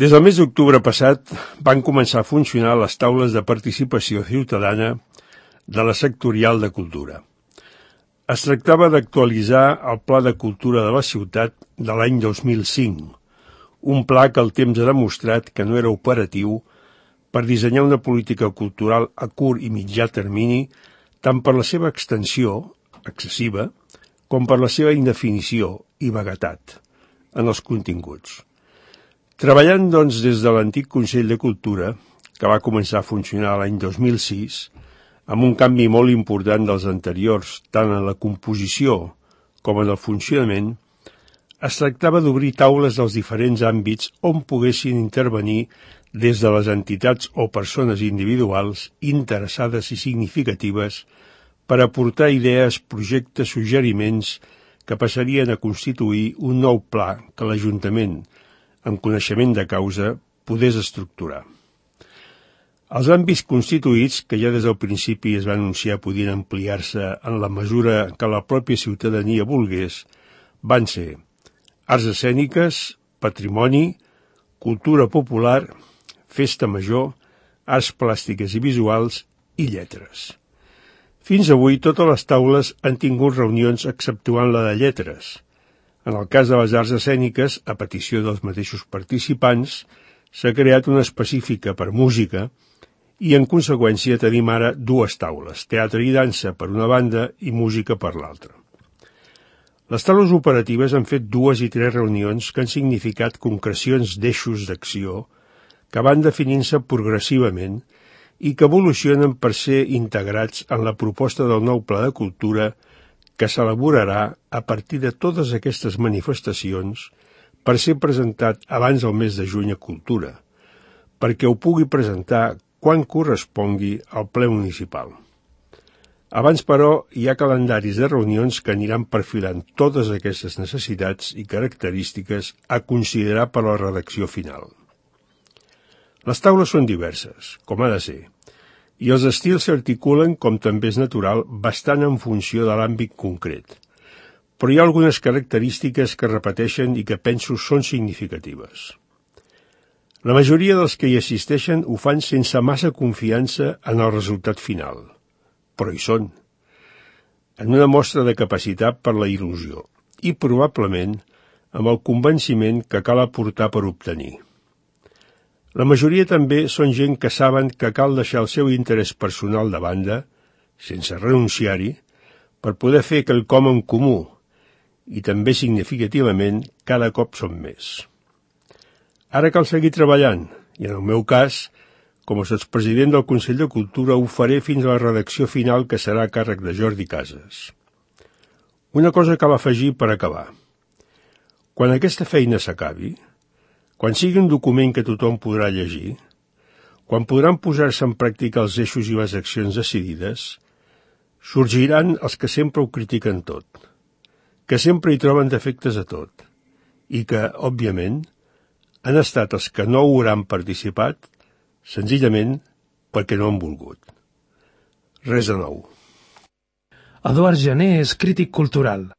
Des del mes d'octubre passat van començar a funcionar les taules de participació ciutadana de la sectorial de cultura. Es tractava d'actualitzar el Pla de Cultura de la ciutat de l'any 2005, un pla que el temps ha demostrat que no era operatiu per dissenyar una política cultural a curt i mitjà termini, tant per la seva extensió, excessiva, com per la seva indefinició i vaguetat en els continguts. Treballant, doncs, des de l'antic Consell de Cultura, que va començar a funcionar l'any 2006, amb un canvi molt important dels anteriors, tant en la composició com en el funcionament, es tractava d'obrir taules dels diferents àmbits on poguessin intervenir des de les entitats o persones individuals interessades i significatives per aportar idees, projectes, suggeriments que passarien a constituir un nou pla que l'Ajuntament, amb coneixement de causa, podés estructurar. Els àmbits constituïts, que ja des del principi es va anunciar podien ampliar-se en la mesura que la pròpia ciutadania volgués, van ser arts escèniques, patrimoni, cultura popular, festa major, arts plàstiques i visuals i lletres. Fins avui totes les taules han tingut reunions exceptuant la de lletres. En el cas de les arts escèniques, a petició dels mateixos participants, s'ha creat una específica per música i, en conseqüència, tenim ara dues taules, teatre i dansa per una banda i música per l'altra. Les taules operatives han fet 2 i 3 reunions que han significat concrecions d'eixos d'acció que van definint-se progressivament i que evolucionen per ser integrats en la proposta del nou Pla de Cultura que s'elaborarà a partir de totes aquestes manifestacions per ser presentat abans del mes de juny a Cultura, perquè ho pugui presentar quan correspongui al ple municipal. Abans, però, hi ha calendaris de reunions que aniran perfilant totes aquestes necessitats i característiques a considerar per a la redacció final. Les taules són diverses, com ha de ser, i els estils s'articulen, com també és natural, bastant en funció de l'àmbit concret. Però hi ha algunes característiques que repeteixen i que penso són significatives. La majoria dels que hi assisteixen ho fan sense massa confiança en el resultat final, però hi són, en una mostra de capacitat per la il·lusió i, probablement, amb el convenciment que cal aportar per obtenir. La majoria també són gent que saben que cal deixar el seu interès personal de banda, sense renunciar-hi, per poder fer quelcom en comú, i també significativament cada cop són més. Ara cal seguir treballant, i en el meu cas, com a sotspresident del Consell de Cultura, ho faré fins a la redacció final que serà a càrrec de Jordi Casas. Una cosa cal afegir per acabar. Quan aquesta feina s'acabi, quan sigui un document que tothom podrà llegir, quan podran posar-se en pràctica els eixos i les accions decidides, sorgiran els que sempre ho critiquen tot, que sempre hi troben defectes a tot, i que, òbviament, han estat els que no hauran participat, senzillament perquè no han volgut. Res de nou. Eduard Jané és crític cultural.